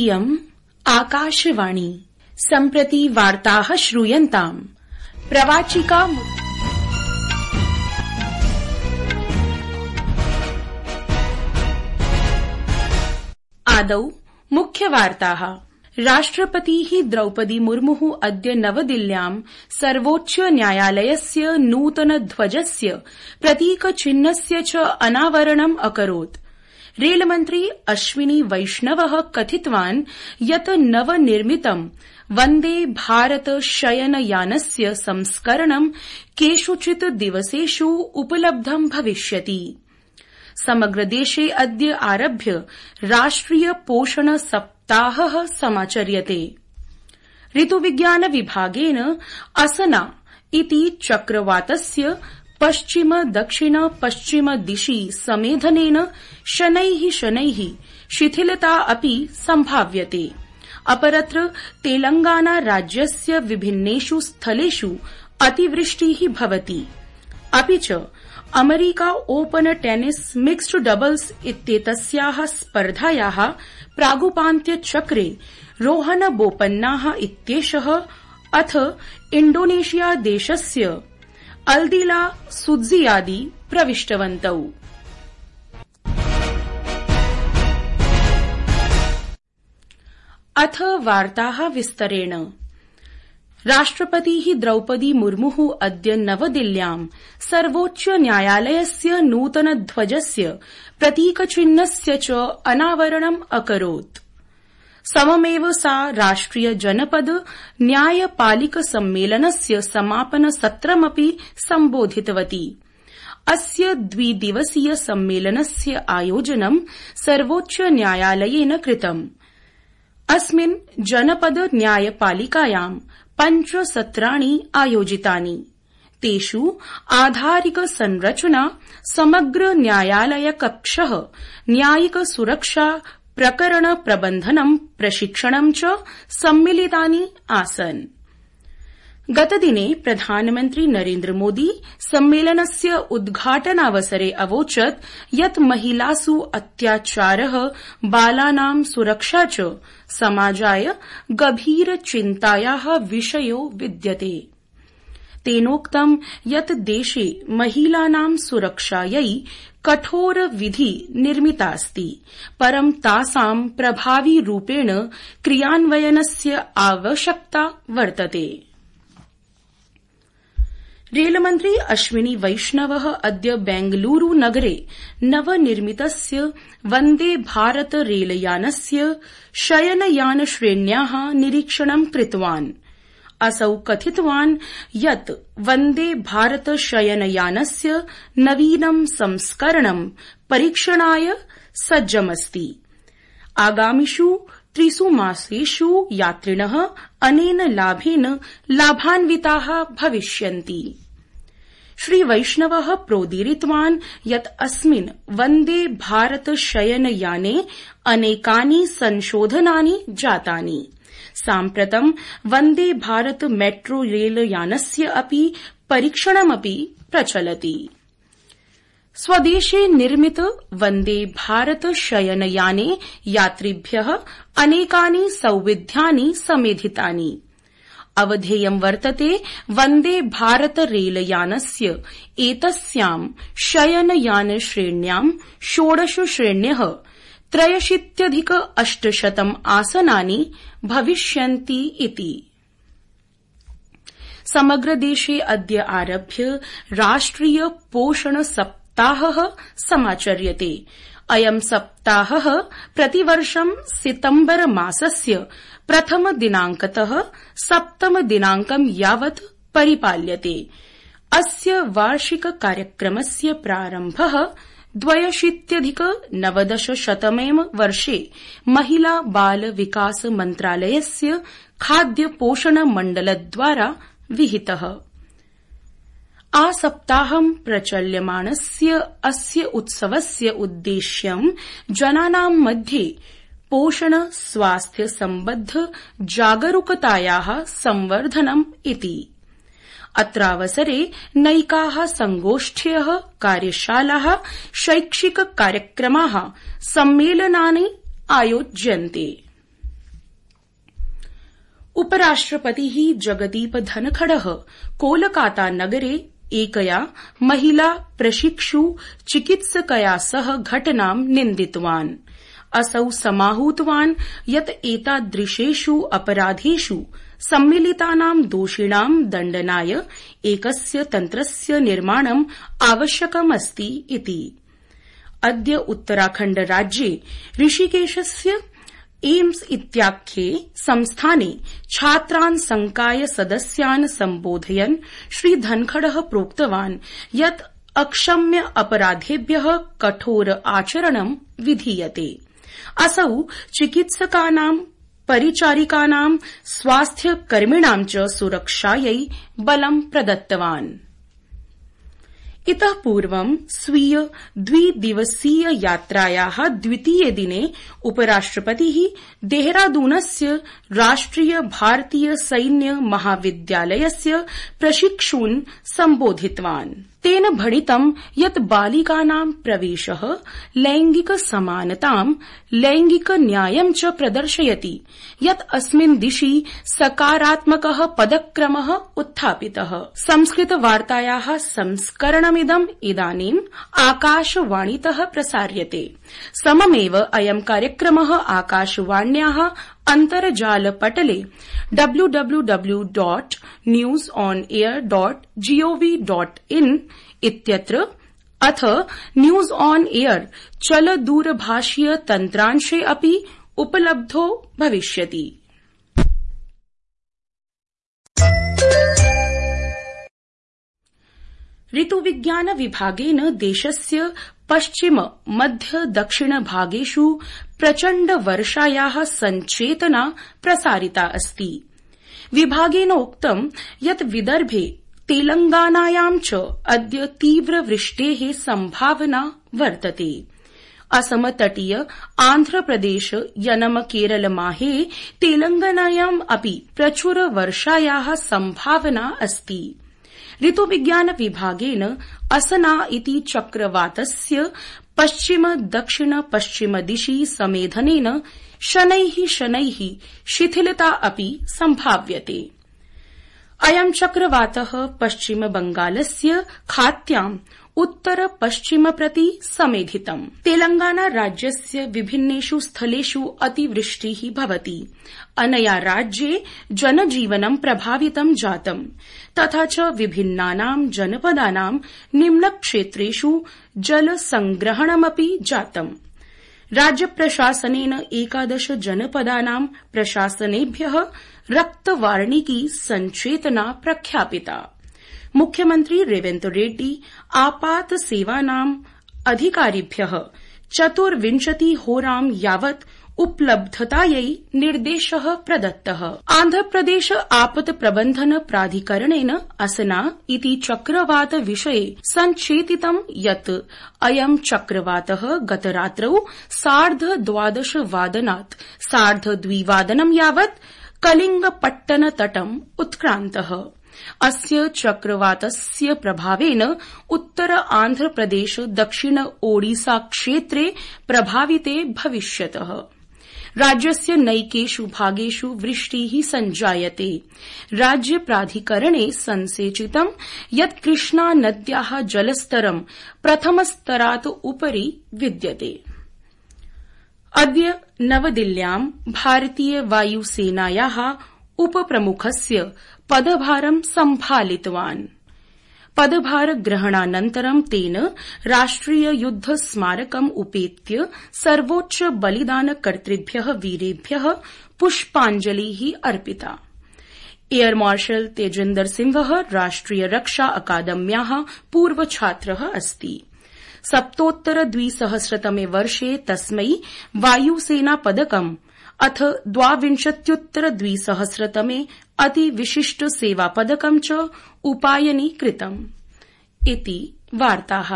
इयम् आकाशवाणी। सम्प्रति वार्ताः श्रूयन्ताम्। प्रवाचिका आदौ मुख्यवार्ताः। राष्ट्रपतिः द्रौपदी मुर्मुः अद्य नवदिल्ल्यां सर्वोच्च न्यायालयस्य नूतनध्वजस्य प्रतीकचिह्नस्य च अनावरणम् अकरोत्। रेलमन्त्री अश्विनी वैष्णवः कथितवान् यत् नवनिर्मितं वन्दे भारत शयनयानस्य संस्करणं केषुचित् दिवसेषु उपलब्धं भविष्यति। समग्र देशे अद्य आरभ्य राष्ट्रिय पोषण सप्ताहः समाचर्यते। ऋतुविज्ञान विभागेन असना इति चक्रवातस्य पश्चिम दक्षिण पश्चिम दिशि समेधनेन शनैः शिथिलता अपि संभाव्यते। अपरत्र तेलंगाना राज्यस्य विभिन्नेषु स्थलेषु अतिवृष्टिः भवति। अपि च America open tennis mixed doubles इत्येतस्याः स्पर्धायाः प्रागुपान्त्यचक्रे रोहन बोपन्नाः इत्येषः अथ इण्डोनेशिया देशस्य अल्दिला सुत्जियादी प्रविष्टवन्तौ। अथ वार्ताः विस्तरेण। राष्ट्रपतिः द्रौपदी मुर्मुः अद्य नवदिल्ल्यां सर्वोच्च न्यायालयस्य नूतनध्वजस्य प्रतीकचिह्नस्य च अनावरणम् अकरोत्। सममेव सा राष्ट्रिय जनपद न्यायपालिक सम्मेलनस्य समापन सत्रमपि सम्बोधितवती। अस्य द्विदिवसीय सम्मेलनस्य आयोजनं सर्वोच्च न्यायालयेन कृतम्। अस्मिन् जनपद न्यायपालिकायां 5 सत्राणि आयोजितानि। तेषु आधारिक संरचना, समग्र न्यायालय कक्षः, न्यायिक सुरक्षा, प्रकरण प्रबन्धनं, प्रशिक्षणं च सम्मिलितानि आसन्। गतदिने प्रधानमन्त्री नरेन्द्र मोदी सम्मेलनस्य उद्घाटनावसरे अवोचत् यत् महिलासु अत्याचारः, बालानां सुरक्षा च समाजाय गभीर चिन्तायाः विषयो विद्यते। तेनोक्तं यत् देशे महिलानां सुरक्षायै कठोर विधि निर्मितास्ति, परं तासां प्रभावी रूपेण क्रियान्वयनस्य आवश्यकता वर्तते। रेलमन्त्री अश्विनी वैष्णवः अद्य बेंगलुरू नगरे नवनिर्मितस्य वन्दे भारत रेलयानस्य शयनयान श्रेण्याः निरीक्षणं कृतवान्। असौ कथितवान् यत् वन्दे भारत शयनयानस्य नवीनं संस्करणं परीक्षणाय सज्जमस्ति। आगामिषु 3 मासेषु यात्रिणः अनेन लाभेन लाभान्विताः भविष्यन्ति। श्री वैष्णवः प्रोदीरितवान् यत् अस्मिन् वन्दे भारत शयनयाने अनेकानि संशोधनानि जातानि। साम्प्रतं वन्दे भारत मेट्रो रेलयानस्य अपि परीक्षणमपि प्रचलति। स्वदेशे निर्मित वन्दे भारत शयनयाने यात्रिभ्यः अनेकानि सौविध्यानि समेधितानि। अवधेयं वर्तते वन्दे भारत रेलयानस्य एतस्यां शयनयान श्रेण्यां 16 श्रेण्यः 83,800 आसनानि भविष्यन्ति इति। समग्र देशे अद्य आरभ्य राष्ट्रिय पोषण सप्ताहः समाचर्यते। अयं सप्ताहः प्रतिवर्षं सितम्बर मासस्य प्रथम दिनांकतः सप्तम दिनांकं यावत् परिपाल्यते। अस्य वार्षिक कार्यक्रमस्य प्रारम्भः 2019 वर्षे महिला बाल विकास मन्त्रालयस्य खाद्य पोषण मण्डलद्वारा विहितः। आसप्ताहं प्रचल्यमाणस्य अस्य उत्सवस्य उद्देश्यं जनानां मध्ये पोषण स्वास्थ्य सम्बद्ध जागरूकतायाः संवर्धनम् इति। अत्रावसरे नैकाः संगोष्ठ्यः, कार्यशालाः, शैक्षिक कार्यक्रमाः, सम्मेलनानि आयोज्यन्ते। उपराष्ट्रपतिः जगदीप धनखडः कोलकाता नगरे एकया महिला प्रशिक्षु चिकित्सकया सह घटनां निन्दितवान्। असौ समाहूतवान् यत् एतादृशेषु अपराधेषु सम्मिलितानां दोषिणां दण्डनाय एकस्य तन्त्रस्य निर्माणम् आवश्यकमस्ति इति। अद्य उत्तराखण्ड राज्ये ऋषिकेशस्य एम्स इत्याख्ये संस्थाने छात्रान् संकाय सदस्यान् सम्बोधयन् श्री धनखडः प्रोक्तवान् यत् अक्षम्य अपराधेभ्यः कठोर आचरणं विधीयते। असौ चिकित्सकानां परिचारिकानां स्वास्थ्यकर्मिणां च सुरक्षायै बलं प्रदत्तवान्। इतः पूर्वं स्वीय द्विदिवसीय यात्रायाः द्वितीये दिने उपराष्ट्रपतिः देहरादूनस्य राष्ट्रिय भारतीय सैन्य महाविद्यालयस्य प्रशिक्षून् सम्बोधितवान्। तेन भणितं यत् बालिकानां प्रवेशः लैंगिक समानतां लैंगिक न्यायं च प्रदर्शयति यत् अस्मिन् दिशि सकारात्मकः पदक्रमः उत्थापितः। संस्कृतवार्तायाः संस्करणमिदं इदानीम् आकाशवाणीतः प्रसार्यते। सममेव अयं कार्यक्रमः आकाशवाण्याः अन्तर्जालपटले www.newsonair.gov.in इत्यत्र अथ न्यूज ऑन एयर चलदूरभाषीय तन्त्रांशे अपि उपलब्धो भविष्यति। ऋतुविज्ञान विभागेन देशस्य पश्चिम मध्य दक्षिण भागेषु प्रचण्ड वर्षायाः संचेतना प्रसारिता अस्ति। विभागेनोक्तं यत् विदर्भे तेलंगानायां च अद्य तीव्रवृष्टेः संभावना वर्तते। असम तटीय आन्ध्रप्रदेश यनम केरल माहे तेलंगानायाम् अपि प्रचुर वर्षायाः संभावना अस्ति। ऋतुविज्ञान विभागेन असना इति चक्रवातस्य पश्चिम दक्षिण पश्चिम दिशि समेधनेन शनैः शिथिलता अपि सम्भाव्यते। अयं चक्रवातः पश्चिम बंगालस्य खात्याम् उत्तर पश्चिम प्रति समेधितम्। तेलंगाना राज्यस्य विभिन्नेषु स्थलेषु अतिवृष्टिः भवति। अनया राज्ये जनजीवनं प्रभावितं जातम् तथा च विभिन्नानां जनपदानां निम्नक्षेत्रेषु जलसंग्रहणमपि जातम्। राज्यप्रशासनेन 11 जनपदानां प्रशासनेभ्यः रक्तवार्णिकी संचेतना प्रख्यापिता। मुख्यमन्त्री रेवन्त रेड्डी आपात सेवानां अधिकारिभ्यः 24 होरां यावत् उपलब्धतायै निर्देशः प्रदत्तः। आन्ध्रप्रदेश आपत् प्रबन्धन प्राधिकरणेन असना इति चक्रवात विषये संचेतितं यत् अयं चक्रवातः गतरात्रौ 12:30 वादनात् 2:30 यावत् कलिंगपट्टन तटम् उत्क्रान्तः। अस्य चक्रवातस्य प्रभावेन उत्तर आन्ध्रप्रदेश दक्षिण ओडिसा क्षेत्रे प्रभाविते भविष्यतः। राज्यस्य नैकेषु भागेषु वृष्टिः सञ्जायते। राज्य प्राधिकरणे संसेचितं यत् कृष्णा नद्याः जलस्तरं प्रथमस्तरात् उपरि विद्यते। अद्य नवदिल्ल्यां भारतीय वायुसेनायाः उपप्रमुखस्य पदभारं सम्भालितवान्। पदभार ग्रहणानन्तरं तेन राष्ट्रिय युद्ध स्मारकम् उपेत्य सर्वोच्च बलिदानकर्तृभ्यः वीरेभ्यः पुष्पाञ्जलिः अर्पिता। एयर मार्शल तेजेन्दर सिंहः राष्ट्रिय रक्षा अकादम्याः पूर्वछात्रः अस्ति। 2017 वर्षे तस्मै वायुसेना पदकम् अथ 2020 अतिविशिष्ट सेवा पदकं च उपायनीकृतम् इति वार्ताः।